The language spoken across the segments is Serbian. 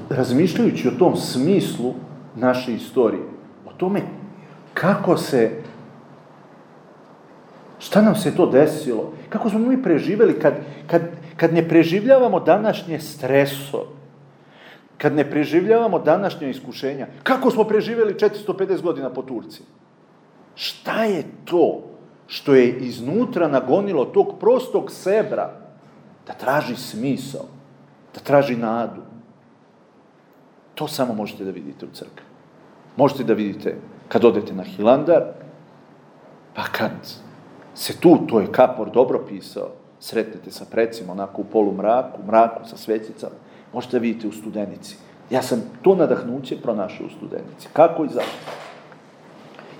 razmišljajući o tom smislu naše istorije, o tome šta nam se to desilo, kako smo mi preživjeli kad ne preživljavamo današnje stresove, kad ne preživljavamo današnje iskušenja, kako smo preživjeli 450 godina po Turci. Šta je to što je iznutra nagonilo tog prostog sebra da traži smisao, da traži nadu? To samo možete da vidite u crkvi. Možete da vidite kad odete na Hilandar, pa kad se tu, to je Kapor dobro pisao, sretnete sa precima, onako u polumraku, mraku sa svećicama, možete da vidite u Studenici. Ja sam to nadahnuće pronašao u Studenici. Kako i zašto?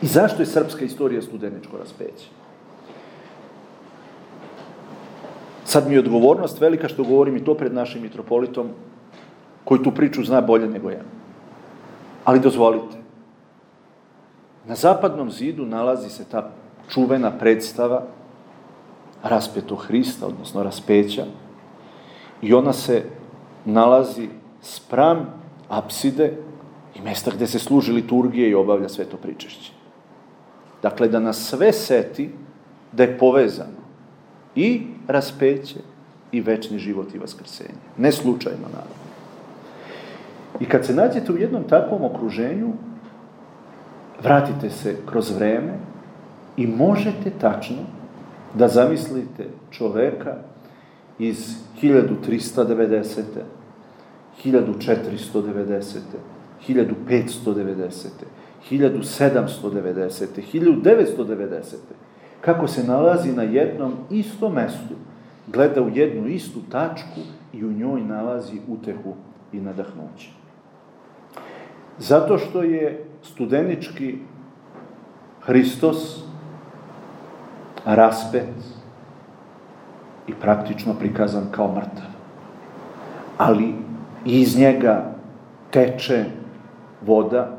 I zašto je srpska istorija studeničko raspeće? Sad mi je odgovornost velika što govorim i to pred našim mitropolitom, koji tu priču zna bolje nego ja. Ali dozvolite, na zapadnom zidu nalazi se ta čuvena predstava Raspetog Hrista, odnosno raspeća, i ona se nalazi spram apside i mesta gde se služi liturgije i obavlja sveto pričešće. Dakle, da nas sve seti da je povezano i raspeće i večni život i vaskrsenje. Ne slučajno, naravno. I kad se nađete u jednom takvom okruženju, vratite se kroz vreme i možete tačno da zamislite čoveka iz 1390. 1490. 1590. 1790. 1990. kako se nalazi na jednom istom mestu, gleda u jednu istu tačku i u njoj nalazi utehu i nadahnuće. Zato što je studenički Hristos raspet i praktično prikazan kao mrtav. Ali iz njega teče voda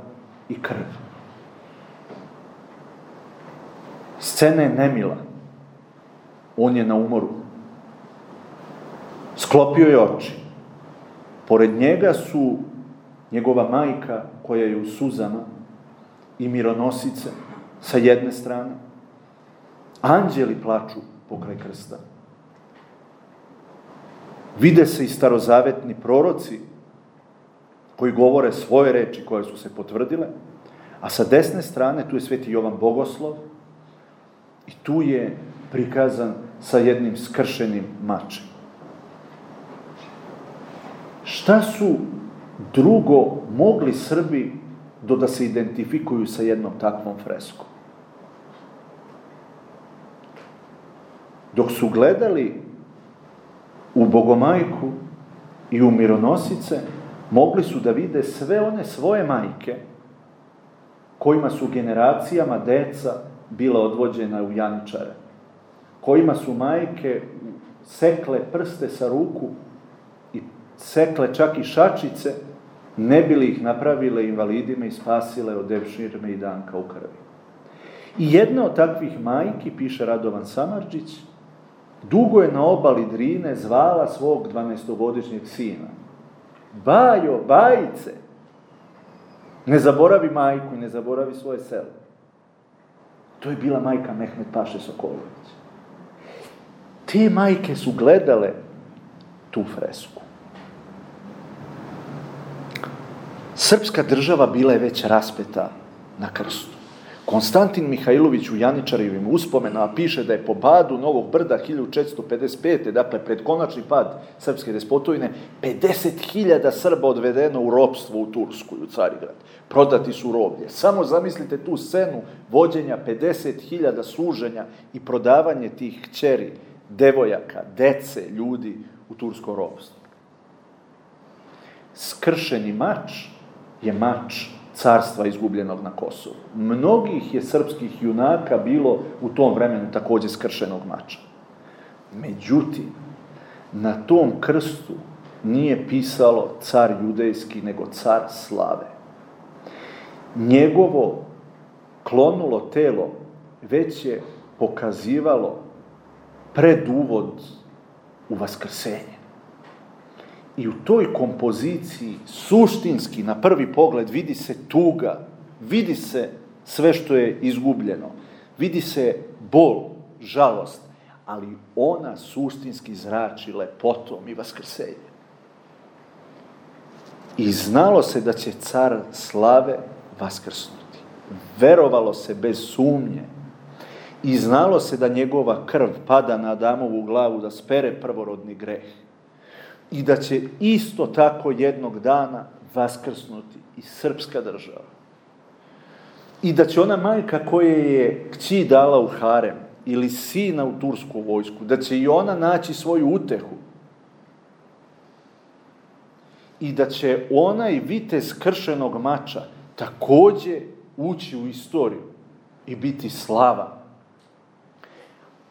i krv. Scena je nemila. On je na umoru. Sklopio je oči. Pored njega su njegova majka, koja je u suzama, i mironosice sa jedne strane. Anđeli plaču pokraj krsta. Vide se i starozavetni proroci koji govore svoje reči koje su se potvrdile, a sa desne strane tu je sveti Jovan Bogoslov i tu je prikazan sa jednim skršenim mačem. Šta su drugo mogli Srbi da se identifikuju sa jednom takvom freskom? Dok su gledali u Bogomajku i u mironosice, mogli su da vide sve one svoje majke kojima su generacijama deca bila odvođena u jančare, kojima su majke sekle prste sa ruku i sekle čak i šačice, ne bili ih napravile invalidima i spasile od devširme i danka u krvi. I jedna od takvih majki, piše Radovan Samardžić, dugo je na obali Drine zvala svog 12-godišnjeg sina. Bajo, bajice, ne zaboravi majku i ne zaboravi svoje selo. To je bila majka Mehmet Paše Sokolović. Te majke su gledale tu fresku. Srpska država bila je već raspeta na krstu. Konstantin Mihajlović u Janičarevim uspomenama piše da je po padu Novog Brda 1455. dakle pred konačni pad srpske despotovine, 50.000 Srba odvedeno u ropstvo u Tursku, u Carigrad. Prodati su roblje. Samo zamislite tu scenu vođenja 50.000 služenja i prodavanje tih kćeri, devojaka, dece, ljudi u tursko ropstvo. Skršeni mač je mač carstva izgubljenog na Kosovu. Mnogih je srpskih junaka bilo u tom vremenu takođe skršenog mača. Međutim, na tom krstu nije pisalo car judejski, nego car slave. Njegovo klonulo telo već je pokazivalo preduvod u vaskrsenje. I u toj kompoziciji suštinski, na prvi pogled, vidi se tuga, vidi se sve što je izgubljeno, vidi se bol, žalost, ali ona suštinski zrači lepotom i vaskrsenjem. I znalo se da će car slave vaskrsnuti. Verovalo se bez sumnje. I znalo se da njegova krv pada na Adamovu glavu da spere prvorodni greh. I da će isto tako jednog dana vaskrsnuti i srpska država. I da će ona majka koja je kći dala u harem ili sina u tursku vojsku, da će i ona naći svoju utehu. I da će onaj vitez kršenog mača takođe ući u istoriju i biti slava.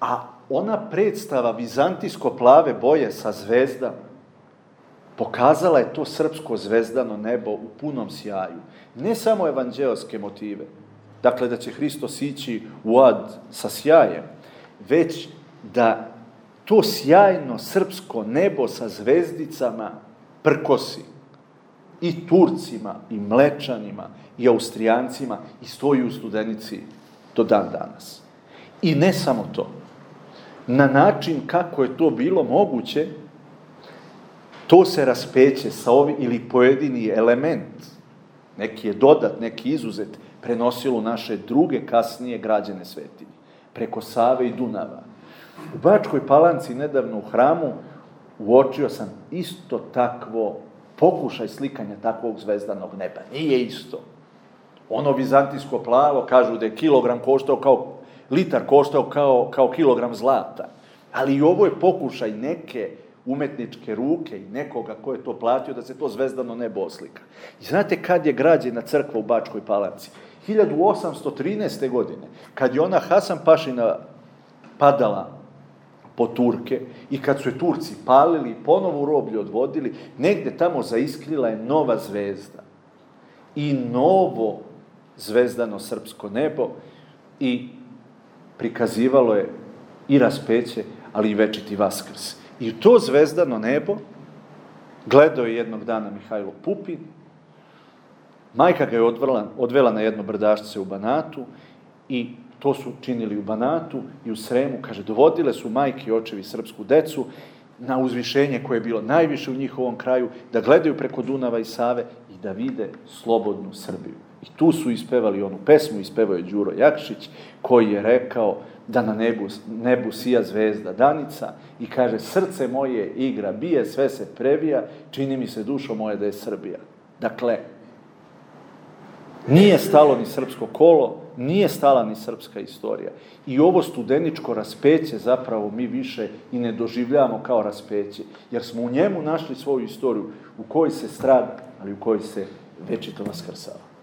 A ona predstava vizantijsko-plave boje sa zvezdama pokazala je to srpsko zvezdano nebo u punom sjaju. Ne samo evanđeoske motive, dakle da će Hristos ići u ad sa sjajem, već da to sjajno srpsko nebo sa zvezdicama prkosi i Turcima, i Mlečanima, i Austrijancima i stoji u Studenici do dan danas. I ne samo to. Na način kako je to bilo moguće, to se raspeće sa ovim, ili pojedini element, neki je dodat, neki izuzet, prenosilo naše druge kasnije građene svetinje, preko Save i Dunava. U Bačkoj Palanci, nedavno u hramu, uočio sam isto takvo pokušaj slikanja takvog zvezdanog neba. Nije isto. Ono vizantijsko plavo, kažu da je kilogram koštao litar koštao kao kilogram zlata. Ali i ovo je pokušaj neke umetničke ruke i nekoga ko je to platio da se to zvezdano nebo oslika. I znate kad je građena crkva u Bačkoj Palanci? 1813. godine, kad je ona Hasan Pašina padala po Turke i kad su je Turci palili i ponovo u roblje odvodili, negde tamo zaiskrila je nova zvezda i novo zvezdano srpsko nebo i prikazivalo je i raspeće, ali i večiti vaskrs. I u to zvezdano nebo gledao je jednog dana Mihajlo Pupin, majka ga je odvela na jedno brdašce u Banatu i to su činili u Banatu i u Sremu, kaže, dovodile su majke i očevi srpsku decu na uzvišenje koje je bilo najviše u njihovom kraju, da gledaju preko Dunava i Save i da vide slobodnu Srbiju. I tu su ispevali onu pesmu, ispevao je Đuro Jakšić, koji je rekao da na nebu sija zvezda danica i kaže, srce moje igra bije, sve se previja, čini mi se dušo moje da je Srbija. Dakle, nije stalo ni srpsko kolo, nije stala ni srpska istorija. I ovo studeničko raspeće zapravo mi više i ne doživljavamo kao raspeće, jer smo u njemu našli svoju istoriju u kojoj se strada, ali u kojoj se večito vaskrsava.